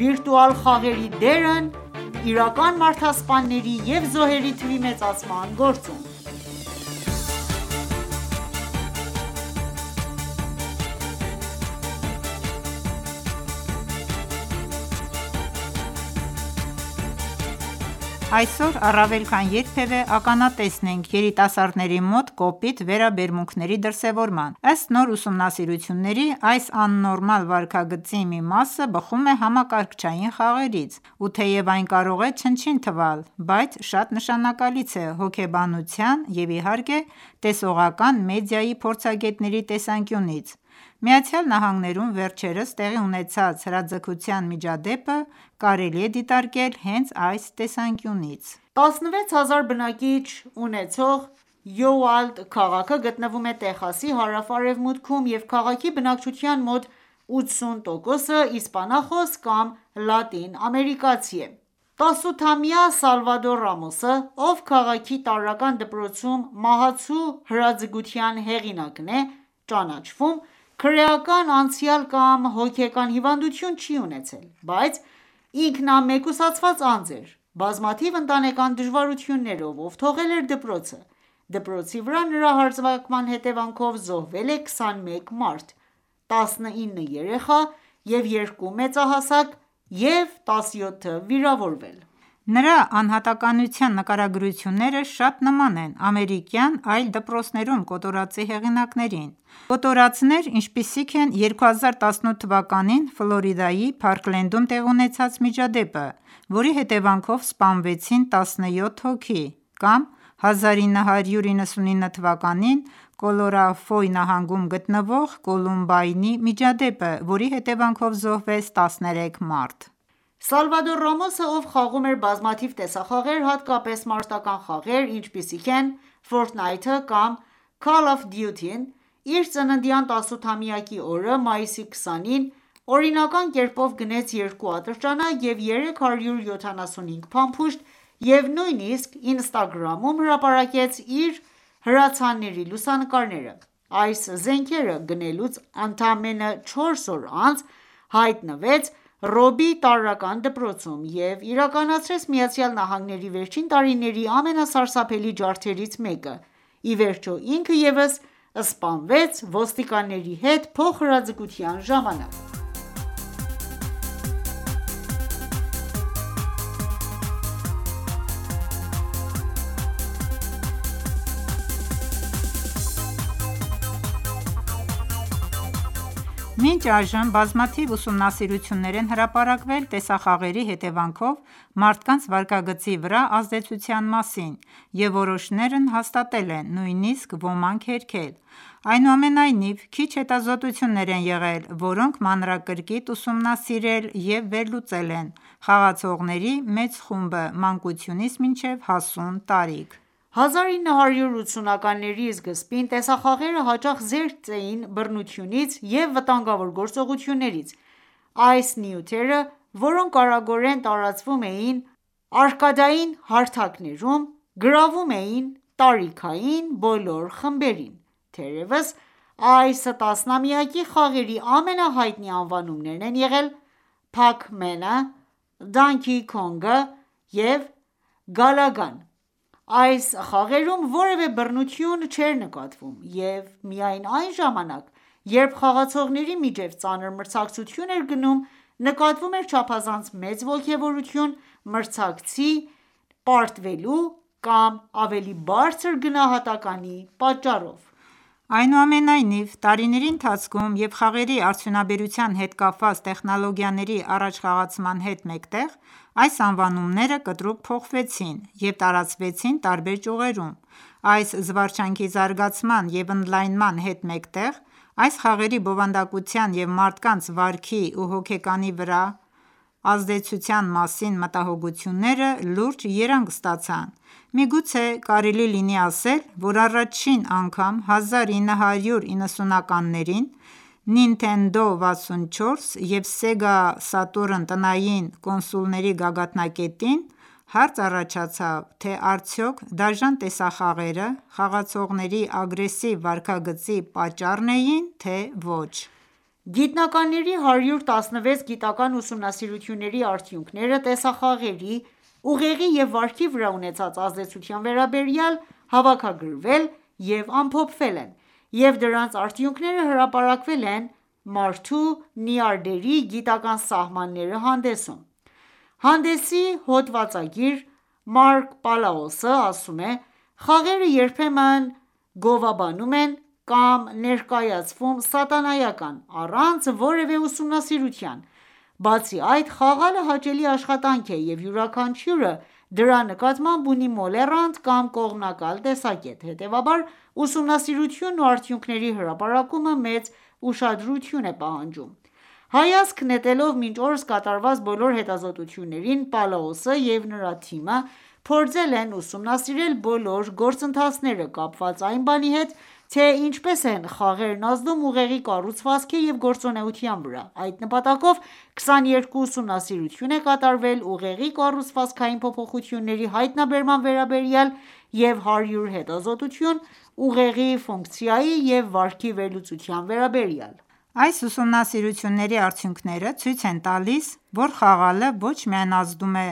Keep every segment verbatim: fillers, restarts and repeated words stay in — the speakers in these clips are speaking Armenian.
վիրտուալ խաղերի դերն իրական մարդասպանների և զոհերի թվի մեծացման գործում։ Այսօր առավել քան երբևէ ականատես ենք երիտասարդների մոտ կոպիտ վերաբերմունքների դրսևորման: Ըստ նոր ուսումնասիրությունների, այս աննորմալ վարքագծի մի մասը բխում է համակարգչային խաղերից, ու թեև այն կարող է չնչին թվալ, բայց շատ նշանակալից է հոգեբանության և իհարկե տեսողական մեդիայի փորձագետների տեսանկյունից: ԱՄՆ-ում վերջերս տեղի ունեցած հրաձգության միջադեպը կարելի է դիտարկել հենց այս տեսանկյունից: տասնվեց հազար բնակիչ ունեցող Յուվալդ քաղաքը գտնվում է Տեխասի հարավ-արևմուտքում և քաղաքի բնակչության մոտ ութսուն տոկոսը իսպանախոս կամ լատին ամերիկացի է: տասութամյա Սալվադոր Ռամոսը, ով քաղաքի տարրական դպրոցում մահացու հրաձգության հեղինակն է, ճանաչվում քրեական անցյալ կամ հոգեկան հիվանդություն չի ունեցել, բայց ինքնամեկուսացված անձ էր: Բազմաթիվ ընտանեկան դժվարություններով ով թողել էր դպրոցը: Դպրոցի վրա նրա հարձակման հետևանքով զոհվել է քսանմեկ մարդ, տասնինը երեխա և երկու մեծահասակ և տասնյոթը վիրավորվել: Նրա անհատականության նկարագրությունները շատ նման են ամերիկյան այլ դպրոցներում կոտորածի հեղինակներին: Կոտորածներ, ինչպիսիք են երկու հազար տասնութ թվականին Ֆլորիդայի Փարքլենդում տեղի ունեցած միջադեպը, որի հետևանքով սպանվեցին տասնյոթ հոգի, կամ հազար ինը հարյուր իննսունինը թվականին Կոլորադոյի նահանգում գտնվող Կոլումբայնի միջադեպը, որի հետևանքով զոհվեց տասներեք մարդ: Սալվադոր Ռամոսը, ով խաղում էր բազմաթիվ տեսախաղեր, հատկապես մարտական խաղեր, ինչպիսիք են Fortnite կամ Call of Duty-ն, իր ծննդյան տասութամյակի օրը՝ մայիսի քսանին, օրինական կերպով գնեց երկու ատրճանակ և երեք հարյուր յոթանասունհինգ փամփուշտ և նույնիսկ Instagram-ում հրապարակեց իր հրացանների լուսանկարները: Այս զենքերը գնելուց ընդամենը չորս օր անց հայտնվեց Ռոբի տարրական դպրոցում և իրականացրեց ԱՄՆ-ի վերջին տարիների ամենասարսափելի ջարդերից մեկը: Ի վերջո, ինքը ևս սպանվեց ոստիկանների հետ փոխհրաձգության ժամանակ: Մինչ այժմ բազմաթիվ ուսումնասիրություններ են հրապարակվել տեսախաղերի հետևանքով մարդկանց վարքագծի վրա ազդեցության մասին և որոշներն հաստատել են, նույնիսկ ոմանք հերքել: Այնուամենայնիվ, քիչ հետազոտություններ են եղել, որոնք մանրակրկիտ ուսումնասիրել և վերլուծել են խաղացողների մեծ խումբը մանկությունից մինչև հասուն տարիք: հազար ինը հարյուր ութսունականների սկզբին տեսախաղերը հաճախ զերծ էին բռնությունից և վտանգավոր գործողություններից: Այս նյութերը, որոնք արագորեն տարածվում էին արկադային հարթակներում, գրավում էին տարիքային բոլոր խմբերին: Թերևս այս տասնամյակի խաղերի ամենահայտնի անվանումներն են եղել Pac-Man-ը, Donkey Kong-ը և Galaga-ն: Այս խաղերում որևէ բռնություն չէր նկատվում, և միայն այն ժամանակ, երբ խաղացողների միջև ծանր մրցակցություն էր գնում, նկատվում էր չափազանց մեծ ոգևորություն մրցակցի պարտվելու կամ ավելի բարձր գնահատականի պատճառով: Այնուամենայնիվ, տարիների ընթացքում և խաղերի արդյունաբերության հետ կապված տեխնոլոգիաների առաջխաղացման հետ մեկտեղ, այս անվանումները կտրուկ փոխվեցին և տարածվեցին տարբեր ճյուղերում: Այս զվարճանքի զարգացման և ընդլայնման հետ մեկտեղ, այս խաղերի բովանդակության և մարդկանց վարքի ու հոգեկանի վրա ազդեցության մասին մտահոգությունները լուրջ երանգ ստացան: Միգուցե կարելի լինի ասել, որ առաջին անգամ հազար ինը հարյուր իննսունականներին Nintendo վաթսունչորս և Sega Saturn տնային կոնսոլների գագաթնակետին հարց առաջացավ, թե արդյոք դաժան տեսախաղերը խաղացողների ագրեսիվ վարքագծի պատճառն էին, թե ոչ: Գիտնականների հարյուր տասնվեց գիտական ուսումնասիրությունների արդյունքները տեսախաղերի, ուղեղի և վարքի վրա ունեցած ազդեցության վերաբերյալ հավաքագրվել և ամփոփվել են, և դրանց արդյունքները հրապարակվել են «Մարդու նյարդերի գիտական սահմանները» հանդեսում: Հանդեսի հոդվածագիր Մարկ Պալաոսը ասում է.«Խաղերը երբեմն գովաբանում են կամ ներկայացվում սատանայական, առանց որևէ ուսումնասիրության: Բացի այդ, խաղալը հաճելի աշխատանք է, և յուրաքանչյուրը դրա նկատմամբ ունի մոլեռանդ կամ կողմնակալ տեսակետ: Հետևաբար, ուսումնասիրությունն ու արդյունքների հրապարակումը մեծ ուշադրություն է պահանջում»: Հայացք նետելով մինչ օրս կատարված բոլոր հետազոտություններին, Պալաոսը և նրա թիմը փորձել են ուսումնասիրել բոլոր գործընթացները կապված այն բանի հետ, թե ինչպես են խաղերն ազդում ուղեղի կառուցվածքի և գործունեության վրա: Այդ նպատակով քսաներկու ուսումնասիրություն է կատարվել ուղեղի կառուցվածքային փոփոխությունների հայտնաբերման վերաբերյալ և հարյուր հետազոտություն ուղեղի ֆունկցիայի և վարքի վերլուծության վերաբերյալ: Այս ուսումնասիրությունների արդյունքները ցույց են տալիս, որ խաղալը ոչ միայն ազդում է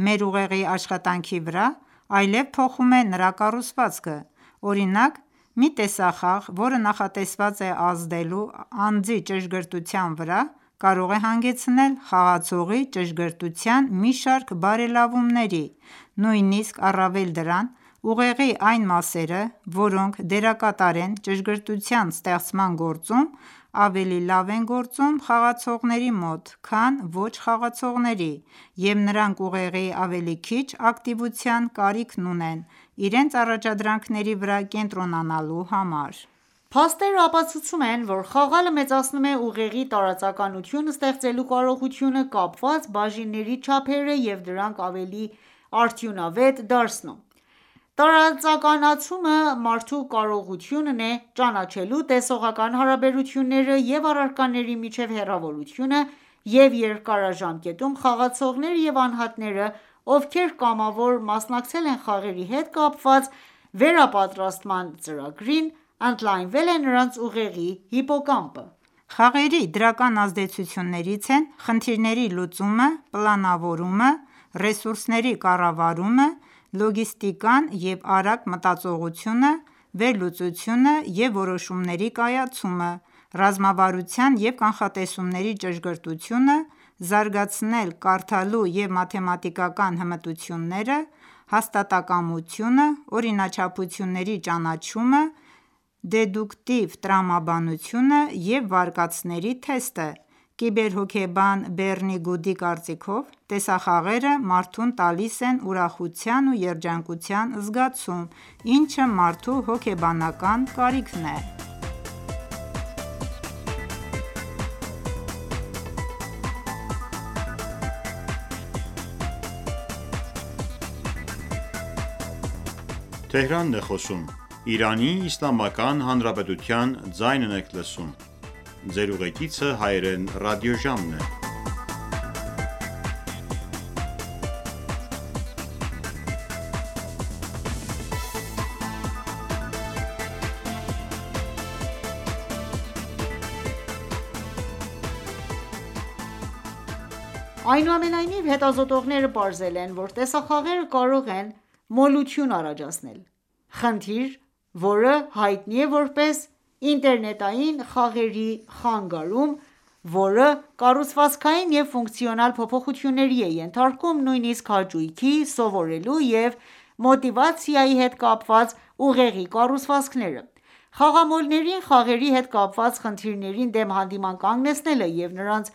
մեր ուղեղի աշխատանքի վրա, այլև փոխում է նրա կառուցվածքը: Օրինակ, մի տեսախաղ, որը նախատեսված է ազդելու անձի ճշգրտության վրա, կարող է հանգեցնել խաղացողի ճշգրտության մի շարք բարելավումների: Նույնիսկ առավել դրան, ուղեղի այն մասերը, որոնք դերակատար են ճշգրտության ստեղծման գործում, ավելի լավ են գործում խաղացողների մոտ, քան ոչ խաղացողների, և նրանք ուղեղի ավելի քիչ ակտիվության կարիքն ունեն իրենց առաջադրանքների վրա կենտրոնանալու համար: Փաստերը ապացուցում են, որ խաղալը մեծացնում է ուղեղի տարածականություն ստեղծելու կարողությունը կապված բաժինների չափերը և դրանք ավելի արդյունավետ դարձնում: Տարածականացումը մարդու կարողությունն է ճանաչելու տեսողական հարաբերությունները և առարկաների միջև հեռավորությունը և երկարաժամկետում խաղացողները և անհատները, ովքեր կամավոր մասնակցել են խաղերի հետ կապված վերապատրաստման ծրագրին, ընդլայնվել է նրանց ուղեղի հիպոկամպը: Խաղերի դրական ազդեցություններից են խնդիրների լուծումը, պլանավորումը, ռեսուրսների կառավարումը, լոգիստիկան և արագ մտածողությունը, վերլուծությունը և որոշումների կայացումը, ռազմավարության և կանխատեսումների ճշգրտությունը, զարգացնել կարդալու և մաթեմատիկական հմտությունները, հաստատակամությունը, օրինաչափությունների ճանաչումը, դեդուկտիվ տրամաբանությունը և վարկածների թեստը: Կիբերհոգեբան Բեռնի Գուդի կարծիքով, տեսախաղերը մարդուն տալիս են ուրախության ու երջանկության զգացում, ինչը մարդու հոգեբանական կարիքն է: Այնուամենայնիվ, հետազոտողները պարզել են, որ տեսախաղերը կարող են մոլություն առաջացնել: Խնդիր, որը հայտնի է որպես ինտերնետային խաղերի խանգարում, որը կառուցվածքային և ֆունկցիոնալ փոփոխությունների է ենթարկում նույնիսկ հաճույքի, սովորելու և մոտիվացիայի հետ կապված ուղեղի կառուցվածքները: Խաղամոլներին խաղերի հետ կապված խնդիրներին դեմ հանդիման կանգնեցնելը և նրանց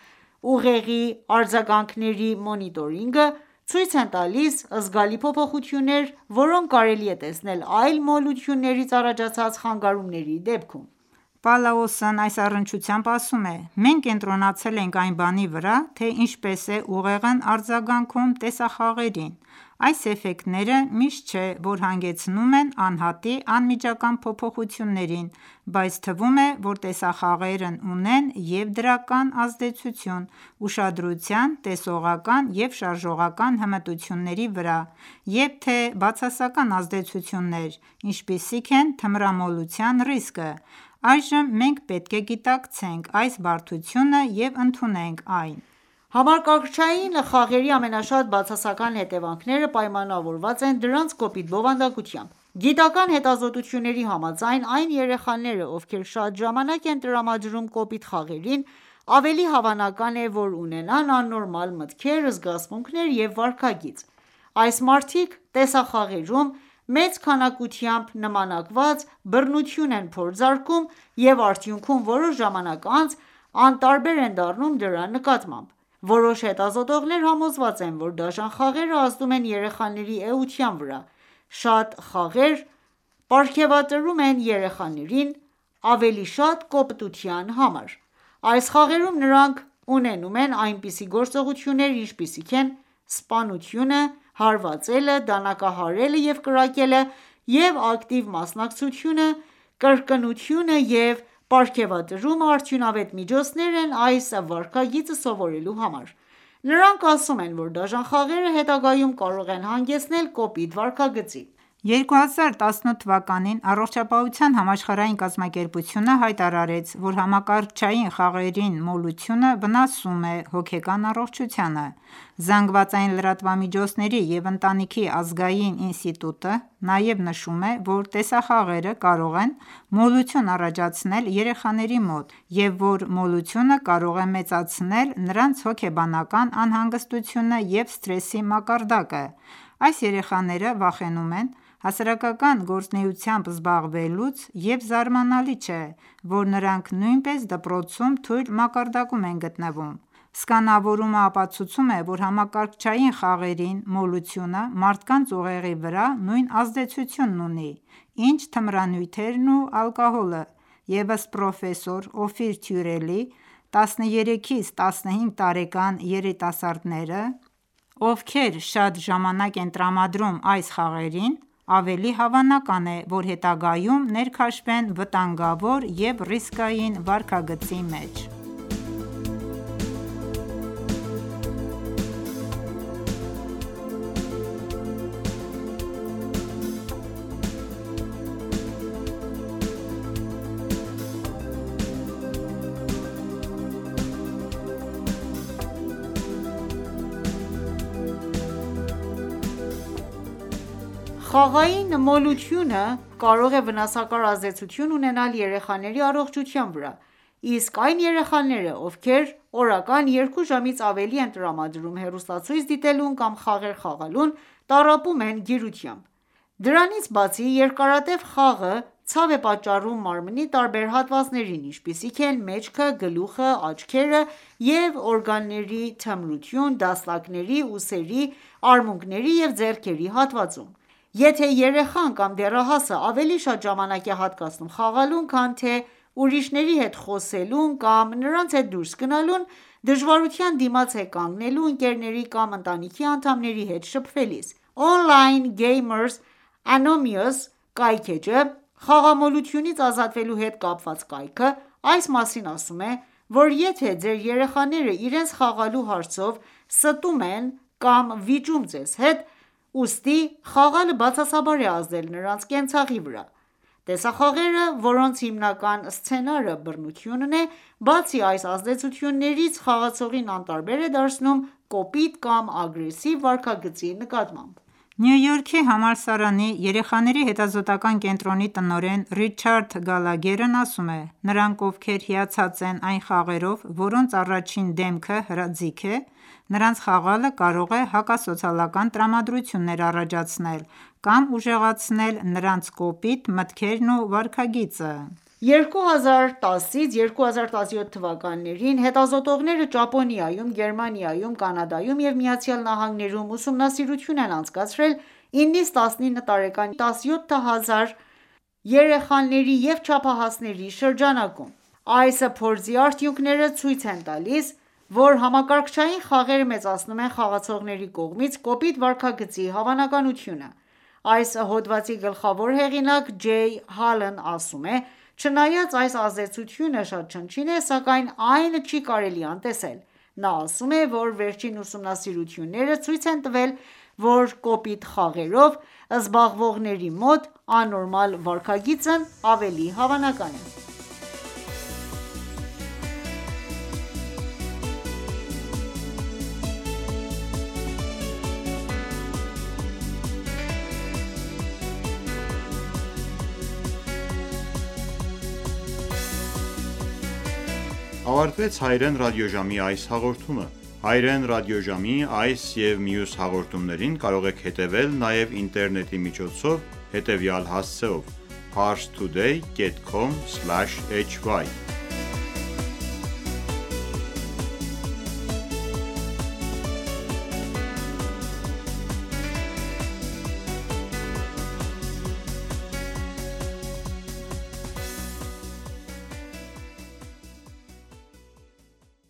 ուղեղի արձագանքների մոնիտորինգը ցույց են տալիս զգալի փոփոխություններ, որոնք կարելի է տեսնել այլ մոլություններից առաջացած խանգարումների դեպքում: Պալաոսն այս առնչությամբ ասում է.«Մենք կենտրոնացել ենք այն բանի վրա, թե ինչպես է ուղեղն արձագանքում տեսախաղերին: Այս էֆեկտները միշտ չէ, որ հանգեցնում են անհատի անմիջական փոփոխություններին, բայց թվում է, որ տեսախաղերն ունեն և՛ դրական ազդեցություն ուշադրության, տեսողական և շարժողական հմտությունների վրա, և թե՛ բացասական ազդեցություններ, ինչպիսիք են թմրամոլության ռիսկը: Այժմ մենք պետք է գիտակցենք այս բարդությունը և ընդունենք այն: Համակարգչային խաղերի ամենաշատ բացասական հետևանքները պայմանավորված են դրանց կոպիտ բովանդակությամբ: Գիտական հետազոտությունների համաձայն, այն երեխաները, ովքեր շատ ժամանակ են տրամադրում կոպիտ խաղերին, ավելի հավանական է, որ ունենան աննորմալ մտքեր, զգացմունքներ և վարքագիծ: Այս մարդիկ տեսախաղերում մեծ քանակությամբ նմանակված բռնություն են փորձարկում և արդյունքում որոշ ժամանակ անց անտարբեր են դառնում դրա նկատմամբ: Որոշ հետազոտողներ համոզված են, որ դաժան խաղերը ազդում են երեխաների էության վրա: Շատ խաղեր պարգևատրում են երեխաներին ավելի շատ կոպտության համար: Այս խաղերում նրանք ունենում են այնպիսի գործողություններ, ինչպիսիք են սպանությունը, հարվածելը, դանակահարելը և կրակելը և ակտիվ մասնակցությունը, կրկնությունը և պարգևատրումը արդյունավետ միջոցներ են այս վարքագիծը սովորելու համար: Նրանք ասում են, որ դաժան խաղերը հետագայում կարող են հանգեցնել կոպիտ վարքագծի: երկու հազար տասնութ թվականին Առողջապահության համաշխարհային կազմակերպությունը հայտարարեց, որ համակարգչային խաղերին մոլությունը վնասում է հոգեկան առողջությանը: ԶԼՄ-ների և ընտանիքի ազգային ինստիտուտը նաև նշում է, որ տեսախաղերը կարող են մոլություն առաջացնել երեխաների մոտ և որ մոլությունը կարող է մեծացնել նրանց հոգեբանական անհանգստությունը և սթրեսի մակարդակը: Այս երեխաները վախենում են հասարակական գործունեությամբ զբաղվելուց և զարմանալի չէ, որ նրանք նույնպես դպրոցում թույլ մակարդակում են գտնվում: Սկանավորումը ապացուցում է, որ համակարգչային խաղերին մոլությունը մարդկանց ուղեղի վրա նույն ազդեցությունն ունի, ինչ թմրանյութերն ու ալկոհոլը և ըստ պրոֆեսոր Օֆիր Թյուրելի, տասներեքից տասնհինգ տարեկան երիտասարդները, ովքեր շատ ժամանակ են տրամադրում այս խաղերին, ավելի հավանական է, որ հետագայում ներքաշվեն վտանգավոր և ռիսկային վարքագծի մեջ: Խաղային մոլությունը կարող է վնասակար ազդեցություն ունենալ երեխաների առողջության վրա, իսկ այն երեխաները, ովքեր օրական երկու ժամից ավելի են տրամադրում հեռուստացույց դիտելուն կամ խաղեր խաղալուն, տառապում են գիրությամբ: Դրանից բացի, երկարատև խաղը ցավ է պատճառում մարմնի տարբեր հատվածներին, ինչպիսիք են մեջքը, գլուխը, աչքերը և օրգանների թմրություն դաստակների, ուսերի, արմունկների և ձեռքերի հատվածում: Եթե երեխան կամ դեռահասը ավելի շատ ժամանակ է հատկացնում խաղալուն, քան թե ուրիշների հետ խոսելուն կամ նրանց հետ դուրս գնալուն, դժվարության դիմաց է կանգնելու ընկերների կամ ընտանիքի անդամների հետ շփվելիս: Online Gamers Anonymous կայքէջը «Խաղամոլությունից ազատվելու հետ կապված կայքը» այս մասին ասում է, որ եթե ձեր երեխաները իրենց խաղալու հարցով ստում են կամ վիճում ձեզ հետ, ուստի խաղալը բացասաբար է ազդել նրանց կենցաղի վրա: Տեսախաղերը, որոնց հիմնական սցենարը բռնությունն է, բացի այս ազդեցություններից, խաղացողին անտարբեր է դարձնում կոպիտ կամ ագրեսիվ վարքագծի նկատմամբ: Նյու Յորքի համալսարանի երեխաների հետազոտական կենտրոնի տնօրեն Ռիչարդ Գալագերն ասում է. «Նրանք, ովքեր հիացած են այն խաղերով, որոնց առաջին դեմքը հրաձիգ է, նրանց խաղալը կարող է հակասոցիալական տրամադրություններ առաջացնել կամ ուժեղացնել նրանց կոպիտ մտքերն ու վարքագիծը»: երկու հազար տասից երկու հազար տասնյոթ թվականներին հետազոտողները Ճապոնիայում, Գերմանիայում, Կանադայում և ԱՄՆ-ում ուսումնասիրություն են անցկացրել իննից տասնինը տարեկան տասնյոթ հազար երեխաների և չափահասների շրջանակում: Այս փորձի արդյունքները ցույց են տալիս, որ համակարգչային խաղերը մեծացնում են խաղացողների կողմից կոպիտ վարքագծի հավանականությունը: Այս հոդվածի գլխավոր հեղինակ Ջեյ Հալն ասում է. «Չնայած այս ազդեցությունը շատ չնչին է, սակայն այն չի կարելի անտեսել»: Նա ասում է, որ վերջին ուսումնասիրությունները ցույց են տվել, որ կոպիտ խաղերով զբաղվողների մոտ աննորմալ վարքագիծն ավելի հավանական է: ավարտվեց հայրեն ռադիոժամի այս հաղորդումը։ Հայրեն ռադիոժամի այս և մյուս հաղորդումներին կարող եք հետևել նաև ինտերնետի միջոցով հետևյալ հասցեով՝ parstoday dot com slash hy